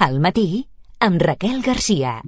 Al matí, amb Raquel Garcia.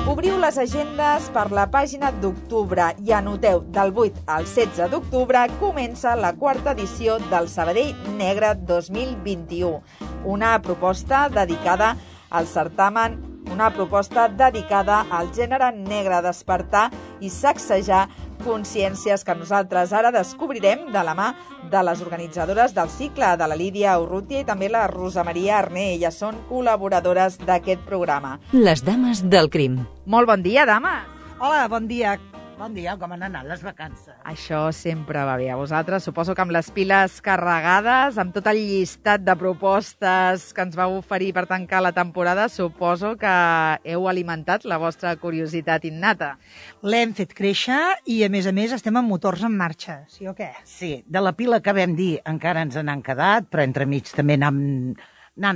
Obriu les agendes per la pàgina d'octubre i anoteu, del 8 al 16 d'octubre comença la quarta edició del Sabadell Negre 2021. Una proposta dedicada al certamen, una proposta dedicada al gènere negre, despertar i sacsejar consciències que nosaltres ara descobrirem de la mà de les organitzadores del cicle, de la Lídia Urrutia i també la Rosa Maria Arné. Elles són col·laboradores d'aquest programa. Les dames del crim. Molt bon dia, dames! Hola, bon dia. Bon dia, com han anat les vacances? Això sempre va bé. A vosaltres, suposo que amb les piles carregades, amb tot el llistat de propostes que ens vau oferir per tancar la temporada, suposo que heu alimentat la vostra curiositat innata. L'hem fet créixer i, a més, estem amb motors en marxa, sí o què? Sí, de la pila que vam dir encara ens n'han quedat, però entremig també n'han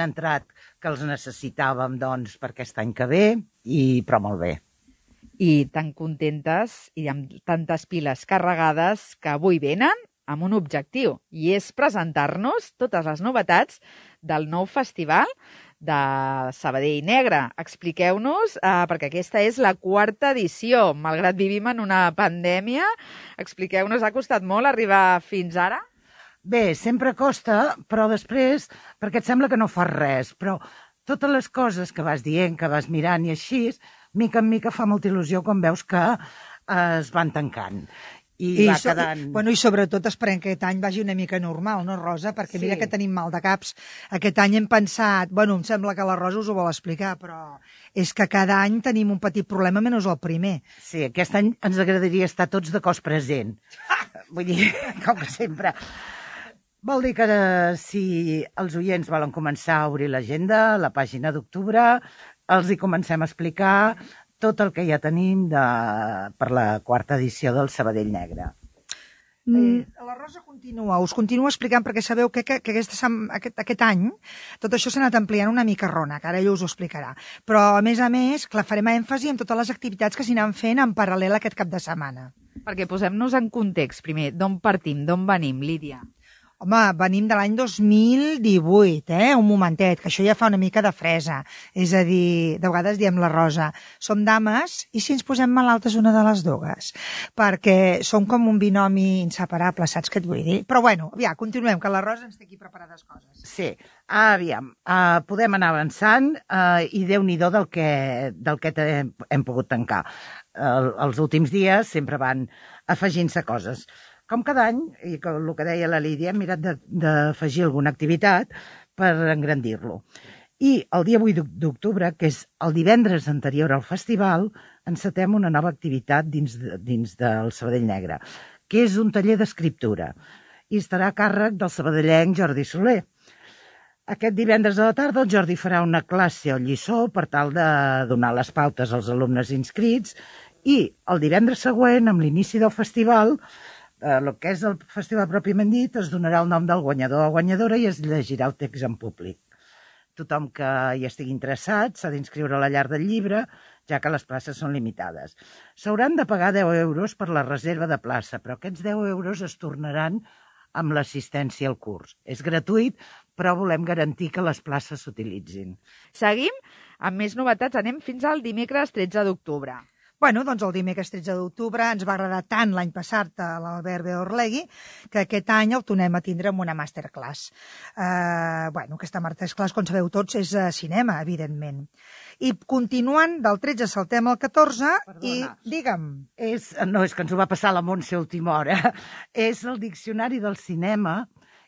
entrat que els necessitàvem doncs, per aquest any que ve, però molt bé. I tan contentes i amb tantes piles carregades que avui venen amb un objectiu, i és presentar-nos totes les novetats del nou festival de Sabadell Negre. Expliqueu-nos, perquè aquesta és la quarta edició. Malgrat vivim en una pandèmia, expliqueu-nos, ha costat molt arribar fins ara? Bé, sempre costa, però després, perquè et sembla que no fas res, però totes les coses que vas dient, que vas mirant i així, mica en mica fa molta il·lusió quan veus que es van tancant. I va quedant... I sobretot esperem que aquest any vagi una mica normal, no, Rosa? Perquè mira que tenim mal de caps. Aquest any hem pensat... Em sembla que la Rosa us ho vol explicar, però és que cada any tenim un petit problema, menys el primer. Sí, aquest any ens agradaria estar tots de cos present. Vull dir, com que sempre... Vol dir que si els oients volen començar a obrir l'agenda, la pàgina d'octubre, els hi comencem a explicar tot el que ja tenim per la quarta edició del Sabadell Negre. La Rosa us continua explicant, perquè sabeu que aquest any tot això s'ha anat ampliant una mica rona, que ara ella us ho explicarà. Però, a més, clar, farem èmfasi en totes les activitats que s'hi anan fent en paral·lel aquest cap de setmana. Perquè posem-nos en context, primer, d'on partim, d'on venim, Lídia? Home, venim de l'any 2018, un momentet, que això ja fa una mica de fresa. És a dir, de vegades diem la Rosa, som dames i si ens posem malaltes una de les dues, perquè som com un binomi inseparable, saps què et vull dir? Però bueno, aviam, continuem, que la Rosa ens té aquí preparades coses. Sí, aviam, podem anar avançant i Déu-n'hi-do del que hem pogut tancar. Els últims dies sempre van afegint-se coses. Com cada any, i el que deia la Lídia, hem mirat d'afegir alguna activitat per engrandir-lo. I el dia 8 d'octubre, que és el divendres anterior al festival, encetem una nova activitat dins del Sabadell Negre, que és un taller d'escriptura, i estarà a càrrec del sabadellenc Jordi Soler. Aquest divendres a la tarda el Jordi farà una classe o lliçó per tal de donar les pautes als alumnes inscrits, i el divendres següent, amb l'inici del festival, el que és el festival pròpiament dit, es donarà el nom del guanyador o guanyadora i es llegirà el text en públic. Tothom que hi estigui interessat s'ha d'inscriure a la llar del llibre, ja que les places són limitades. S'hauran de pagar 10 euros per la reserva de plaça, però aquests 10 euros es tornaran amb l'assistència al curs. És gratuït, però volem garantir que les places s'utilitzin. Seguim amb més novetats, anem fins al dimecres 13 d'octubre. Doncs el dimecres 13 d'octubre ens va agradar tant l'any passat a l'Albert Beorlegui que aquest any el tornem a tindre amb una masterclass. Aquesta masterclass, com sabeu tots, és cinema, evidentment. I continuant, del 13 saltem al 14 i, digue'm... No, és que ens ho va passar la Montse a última hora. És el diccionari del cinema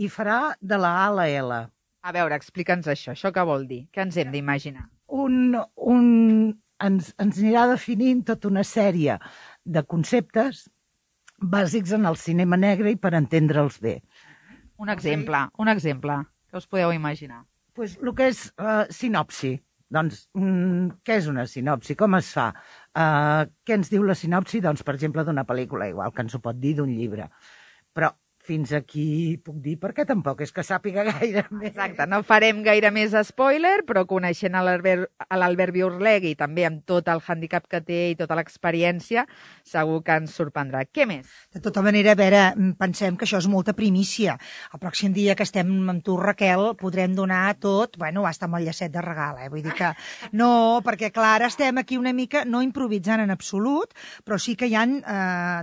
i farà de la A a la L. A veure, explica'ns això què vol dir? Què ens hem d'imaginar? Ens anirà definint tota una sèrie de conceptes bàsics en el cinema negre i per entendre'ls bé. Un exemple, que us podeu imaginar. El que és sinopsi. Doncs, què és una sinopsi? Com es fa? Què ens diu la sinopsi? Doncs, per exemple, d'una pel·lícula, igual que ens ho pot dir d'un llibre. Però fins aquí puc dir, perquè tampoc és que sàpiga gaire més. Exacte, no farem gaire més spoiler, però coneixent l'Albert Biurlegui, també amb tot el handicap que té i tota l'experiència, segur que ens sorprendrà. Què més? De tota manera, a veure, pensem que això és molta primícia. El pròxim dia que estem amb tu, Raquel, podrem donar tot, bueno, hasta amb el llacet de regal, Vull dir que no, perquè clar, ara estem aquí una mica, no improvisant en absolut, però sí que hi ha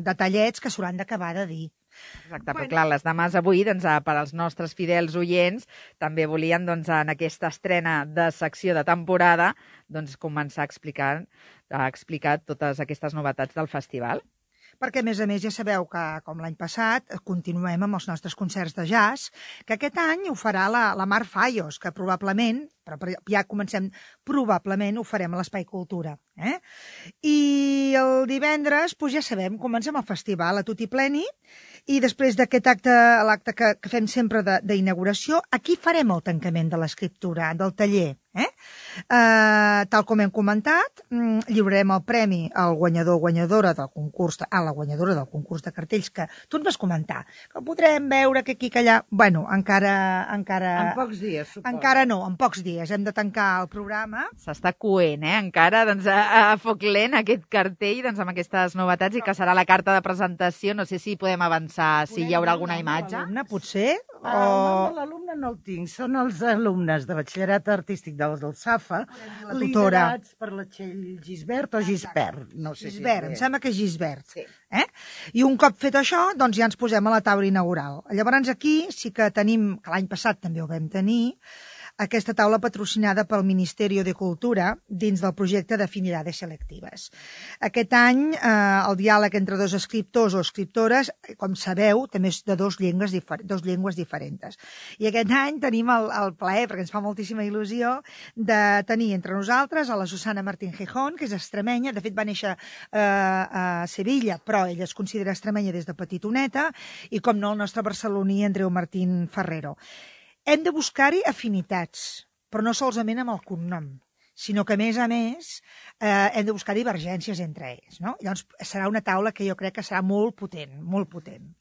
detallets que s'hauran d'acabar de dir. Exacte, però clar, les dames avui, doncs, per als nostres fidels oients, també volien, doncs, en aquesta estrena de secció de temporada, doncs, començar a explicar totes aquestes novetats del festival. Perquè, a més, ja sabeu que, com l'any passat, continuem amb els nostres concerts de jazz, que aquest any ho farà la Mar Fallos, que probablement, però ja comencem, probablement ho farem a l'Espai Cultura. I el divendres, doncs ja sabem, comencem el festival a tutti pleni, i després d'aquest acte, l'acte que fem sempre d'inauguració, aquí farem el tancament de l'escriptura, del taller. Tal com hem comentat, lliurarem el premi al guanyador o guanyadora del concurs, a la guanyadora del concurs de cartells, que tu ens vas comentar, que podrem veure que aquí que allà... Bueno, encara... En pocs dies, suposo. Encara no, en pocs dies. Hem de tancar el programa. S'està coent, encara, doncs, a foc lent aquest cartell, doncs, amb aquestes novetats, i que serà la carta de presentació. No sé si podem avançar, si hi haurà alguna imatge. Potser? El nom de l'alumne no el tinc. Són els alumnes de batxillerat artístic del SAFA, liderats per la Txell Gisbert o Gispert. No sé Gisbert, em sembla que és Gisbert. Sí. I un cop fet això, doncs ja ens posem a la taula inaugural. Llavors aquí sí que tenim, que l'any passat també ho vam tenir, aquesta taula patrocinada pel Ministeri de Cultura dins del projecte d'Afinidades Selectives. Aquest any el diàleg entre dos escriptors o escriptores, com sabeu, també és de dos llengües diferents. I aquest any tenim el plaer, perquè ens fa moltíssima il·lusió, de tenir entre nosaltres a la Susana Martín Gijón, que és extremenya, de fet va néixer a Sevilla, però ella es considera extremenya des de petitoneta, i com no, el nostre barceloní Andreu Martín Ferrero. Hem de buscar-hi afinitats, però no solament amb el cognom, sinó que, a més, hem de buscar divergències entre ells. No? Llavors, serà una taula que jo crec que serà molt potent, molt potent.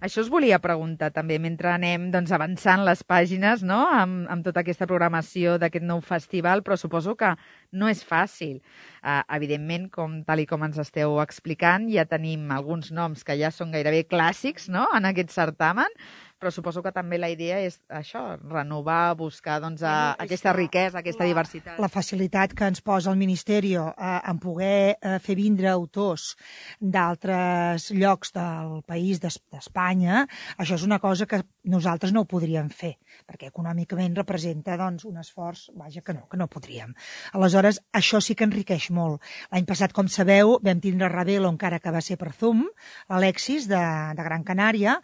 Això us volia preguntar també, mentre anem avançant les pàgines, no? amb tota aquesta programació d'aquest nou festival, però suposo que no és fàcil. Evidentment, tal com ens esteu explicant, ja tenim alguns noms que ja són gairebé clàssics, no?, en aquest certamen, però suposo que també la idea és això, renovar, buscar aquesta riquesa, aquesta diversitat. La facilitat que ens posa el Ministeri en poder fer vindre autors d'altres llocs del país, d'Espanya, això és una cosa que nosaltres no ho podríem fer, perquè econòmicament representa un esforç, que no podríem. Aleshores, això sí que enriqueix molt. L'any passat, com sabeu, vam tindre Ravelo, encara que va ser per Zoom, l'Alexis de Gran Canària,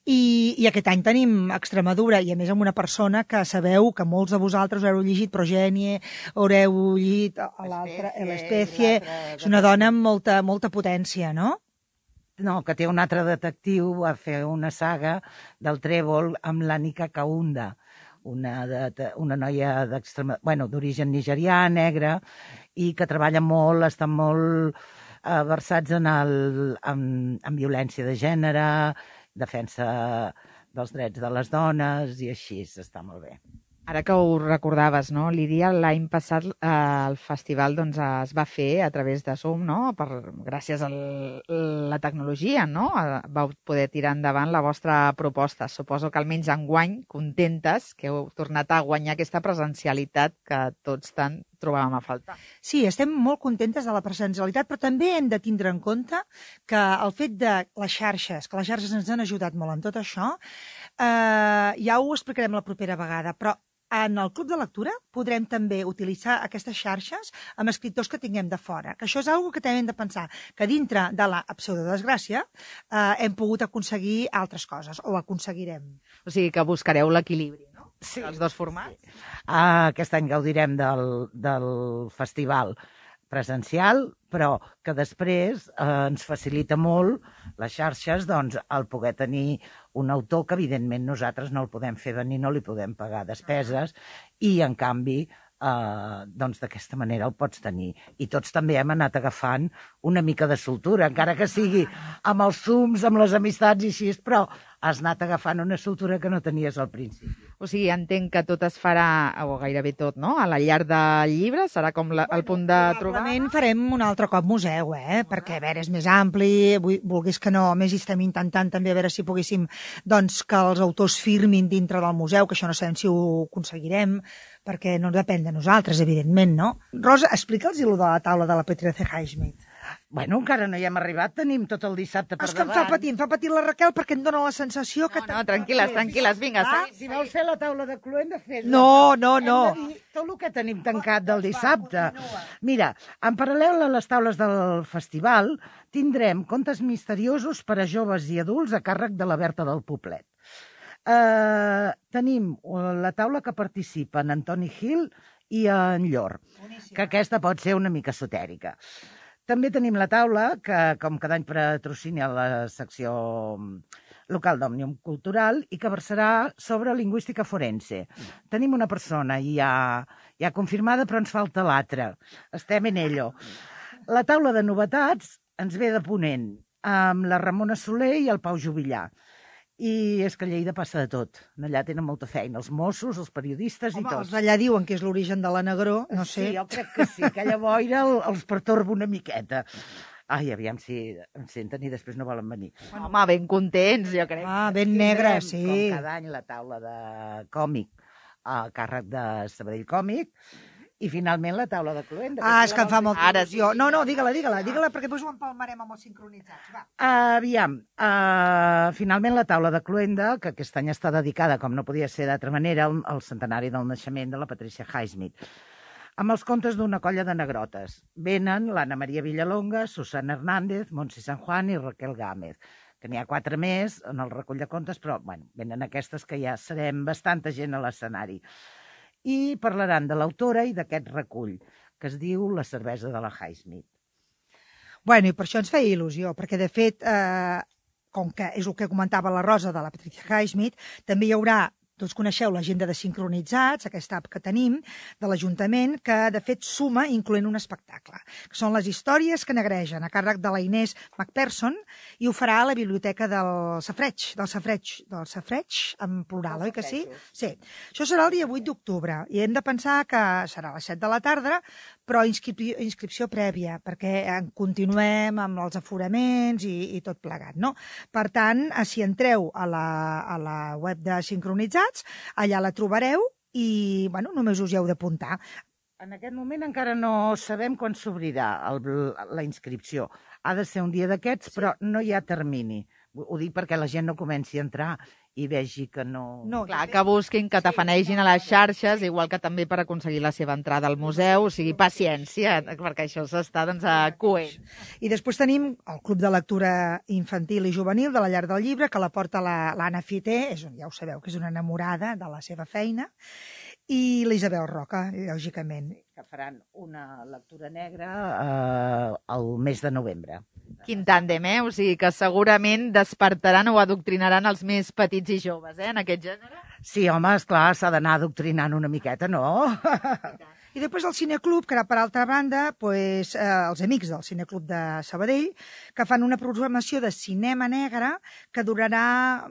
i aquest any tenim Extremadura, i a més amb una persona que sabeu que molts de vosaltres haureu llegit Progenie, haureu llegit l'Espècie, és una dona amb molta potència, no? No, que té un altre detectiu, va fer una saga del Trèvol amb l'Ànica Kaunda, una noia d'origen nigerià, negra, i que treballa molt, estan molt versats en violència de gènere, defensa dels drets de les dones, i així està molt bé. Ara que ho recordaves, no, Lídia, l'any passat el festival es va fer a través de Zoom, no? Gràcies a la tecnologia, no? Vau poder tirar endavant la vostra proposta. Suposo que almenys enguany, contentes, que heu tornat a guanyar aquesta presencialitat que tots tant trobàvem a faltar. Sí, estem molt contentes de la presencialitat, però també hem de tindre en compte que el fet de les xarxes, que les xarxes ens han ajudat molt en tot això, ja ho explicarem la propera vegada, però en el Club de Lectura podrem també utilitzar aquestes xarxes amb escriptors que tinguem de fora, que això és una cosa que també hem de pensar, que dintre de la pseudodesgràcia hem pogut aconseguir altres coses, o aconseguirem. O sigui que buscareu l'equilibri, no? Sí. Els dos formats. Sí. Aquest any gaudirem del festival presencial, però que després ens facilita molt les xarxes el poder tenir un autor que evidentment nosaltres no el podem fer venir, no li podem pagar despeses, i en canvi d'aquesta manera el pots tenir. I tots també hem anat agafant una mica de soltura, encara que sigui amb els Zooms, amb les amistats i així, però has anat agafant una soltura que no tenies al principi. O sigui, entenc que tot es farà, o gairebé tot, no?, a la llar del llibre, serà com el punt de trobada. Probablement farem un altre cop museu, perquè, a veure, és més ampli, vulguis que no, a més hi estem intentant també a veure si poguéssim, doncs, que els autors firmin dintre del museu, que això no sabem si ho aconseguirem, perquè no depèn de nosaltres, evidentment, no? Rosa, explica'ls-hi allò de la taula de la Patricia Highsmith. Bueno, encara no hi hem arribat, tenim tot el dissabte per És que davant. em fa patir la Raquel perquè em dona la sensació que... No, tranquil·les, vinga. Si vols fer la taula de cluenda, fes-la. No. Hem de dir tot el que tenim tancat del dissabte. Mira, en paral·lel a les taules del festival, tindrem contes misteriosos per a joves i adults a càrrec de la Berta del Poblet. Tenim la taula que participen en Toni Hill i en Llor, que aquesta pot ser una mica esotèrica. També tenim la taula, que com cada any patrocina la secció local d'Òmnium Cultural i que versarà sobre lingüística forense. Tenim una persona ja confirmada, però ens falta l'altra. Estem en ello. La taula de novetats ens ve de Ponent, amb la Ramona Soler i el Pau Jubillar. I és que a Lleida passa de tot. Allà tenen molta feina, els Mossos, els periodistes i tots. Els d'allà diuen que és l'origen de la negró, no sé. Sí, jo crec que sí, aquella boira els pertorba una miqueta. Ai, aviam si em senten i després no volen venir. Home, ben contents, jo crec. Ben negre, sí. Com cada any la taula de còmic a càrrec de Sabadell Còmic. I finalment la taula de cluenda. És que em fa molta il·lusió. No, digue-la, perquè després ho empalmarem amb els sincronitzats. Va. Aviam, finalment la taula de cluenda, que aquest any està dedicada, com no podia ser d'altra manera, al centenari del naixement de la Patricia Highsmith, amb els contes d'una colla de negrotes. Venen l'Anna Maria Villalonga, Susana Hernández, Montse San Juan i Raquel Gámez, que n'hi ha 4 més en el recull de contes, però venen aquestes que ja serem bastanta gent a l'escenari. I parlaran de l'autora i d'aquest recull, que es diu La cervesa de la Highsmith. Bueno, i per això ens feia il·lusió, perquè de fet, com que és el que comentava la Rosa de la Patricia Highsmith, també hi haurà, tots coneixeu l'agenda de sincronitzats, aquesta app que tenim, de l'Ajuntament, que de fet suma incloent un espectacle, que són les històries que negregen, a càrrec de la Inés McPherson, i ho farà a la biblioteca del Safareig, en plural, oi que sí? Sí. Això serà el dia 8 d'octubre, i hem de pensar que serà a les 7 de la tarda, però inscripció prèvia, perquè continuem amb els aforaments i tot plegat, no? Per tant, si entreu a la web de sincronitzats, allà la trobareu i, només us hi heu d'apuntar. En aquest moment encara no sabem quan s'obrirà la inscripció. Ha de ser un dia d'aquests, però no hi ha termini. Ho dic perquè la gent no comenci a entrar i vegi que no... Clar, que busquin, que tafanegin a les xarxes, igual que també per aconseguir la seva entrada al museu, o sigui, paciència, perquè això s'està, coent. I després tenim el Club de Lectura Infantil i Juvenil de la Llar del Llibre, que la porta l'Anna Fité, ja ho sabeu, que és una enamorada de la seva feina, i l'Isabel Roca, lògicament. Que faran una lectura negra al mes de novembre. Quin tàndem, o sigui que segurament despertaran o adoctrinaran els més petits i joves, en aquest gènere? Sí, home, esclar, s'ha d'anar adoctrinant una miqueta, no? I després el Cineclub, que era per altra banda, els amics del Cineclub de Sabadell, que fan una programació de cinema negre que durarà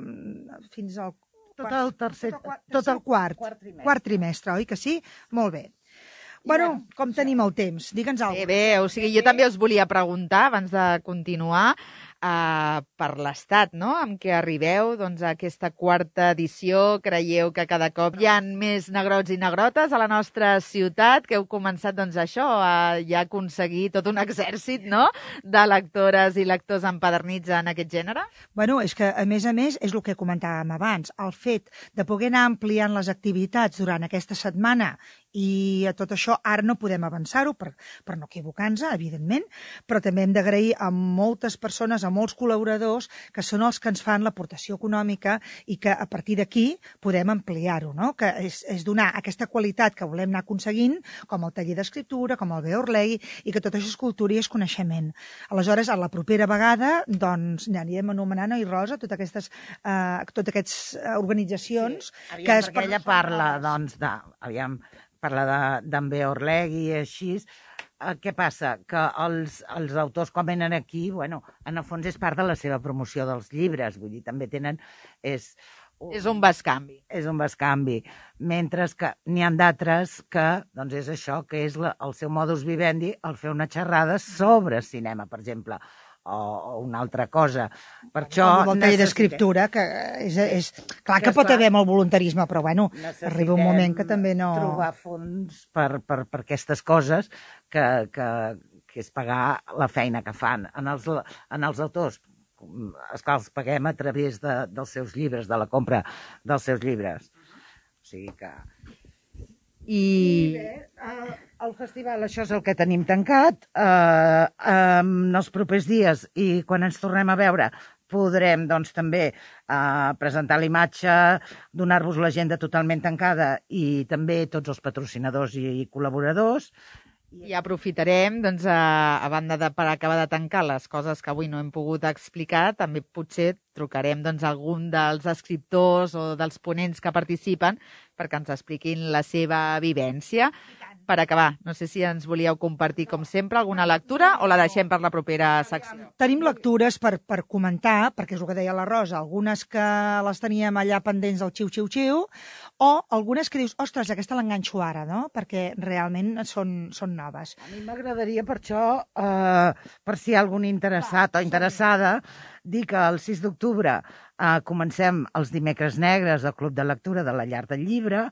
fins al quart trimestre, oi que sí? Molt bé. Bueno, com tenim el temps? Digue'ns alguna cosa. Bé, o sigui, jo també us volia preguntar, abans de continuar, per l'estat, no?, amb què arribeu, a aquesta quarta edició. Creieu que cada cop hi ha més negrots i negrotes a la nostra ciutat, que heu començat, això, a ja aconseguir tot un exèrcit, no?, de lectores i lectors empadernits en aquest gènere? Bueno, és que, a més, és el que comentàvem abans, el fet de poder anar ampliant les activitats durant aquesta setmana i a tot això ara no podem avançar-ho per no equivocar-nos, evidentment, però també hem d'agrair a moltes persones, a molts col·laboradors, que són els que ens fan l'aportació econòmica i que a partir d'aquí podem ampliar-ho, no? Que és donar aquesta qualitat que volem anar aconseguint, com el taller d'escriptura, com el Beorlei, i que tot això és cultura i és coneixement. Aleshores, a la propera vegada, anirem anomenant, oi, Rosa, totes aquestes organitzacions... Sí, perquè ella parla, parla d'en Beorlegui i així, què passa? Que els autors, quan venen aquí, bueno, en el fons és part de la seva promoció dels llibres, vull dir, també tenen... És un bescanvi. És un bescanvi. Mentre que n'hi ha d'altres que, doncs és això, que és el seu modus vivendi, el fer una xerrada sobre cinema, per exemple, o una altra cosa. Per això... La taller d'escriptura, que és... Clar que pot haver molt voluntarisme, però bueno, arriba un moment que també no... trobar fons per aquestes coses que és pagar la feina que fan. En els autors, esclar, els paguem a través dels seus llibres, de la compra dels seus llibres. O sigui que... I bé, el festival, això és el que tenim tancat. En els propers dies i quan ens tornem a veure podrem doncs, també presentar la imatge, donar-vos l'agenda totalment tancada i també tots els patrocinadors i col·laboradors. I aprofitarem, doncs, a banda per acabar de tancar les coses que avui no hem pogut explicar, també potser trucarem doncs, a algun dels escriptors o dels ponents que participen perquè ens expliquin la seva vivència. Per acabar, no sé si ens volíeu compartir, com sempre, alguna lectura o la deixem per la propera secció? Tenim lectures per comentar, perquè és el que deia la Rosa, algunes que les teníem allà pendents del xiu-xiu-xiu, o algunes que dius, ostres, aquesta l'enganxo ara, no? Perquè realment són noves. A mi m'agradaria, per això, per si hi ha algun interessat o interessada, dir que el 6 d'octubre comencem els dimecres negres al Club de Lectura de la Llar del Llibre,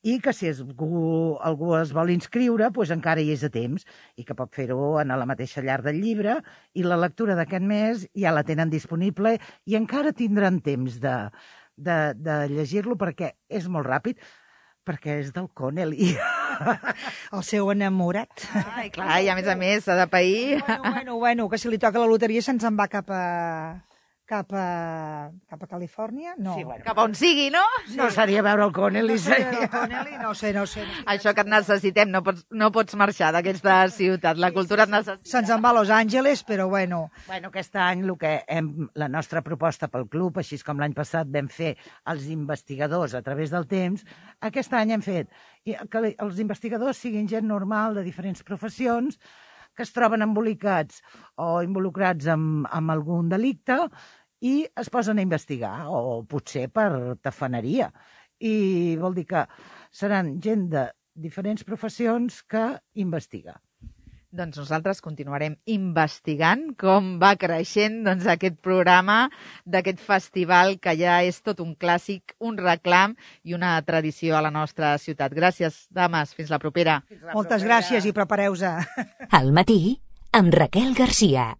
i que si algú es vol inscriure, doncs encara hi és a temps i que pot fer-ho a la mateixa Llar del Llibre, i la lectura d'aquest mes ja la tenen disponible i encara tindran temps de llegir-lo perquè és molt ràpid, perquè és del Connelly. El seu enamorat. Ai, clar, i a més s'ha de pair. Bueno, que si li toca la loteria se'ns en va cap a Califòrnia? No. Sí, bueno. Cap a on sigui, no? No seria veure el Connelly. No sé. Això que et necessitem, no pots marxar d'aquesta ciutat, la cultura et necessita. Se'ns en va a Los Angeles, però bueno. Bueno, aquest any la nostra proposta pel club, així com l'any passat vam fer els investigadors a través del temps, aquest any hem fet que els investigadors siguin gent normal de diferents professions, que es troben embolicats o involucrats amb algun delicte i es posen a investigar, o potser per tafaneria. I vol dir que seran gent de diferents professions que investiga. Doncs nosaltres continuarem investigant com va creixent aquest programa d'aquest festival que ja és tot un clàssic, un reclam i una tradició a la nostra ciutat. Gràcies, dames. Fins la propera. Moltes gràcies i prepareu-se. Al matí, amb Raquel Garcia.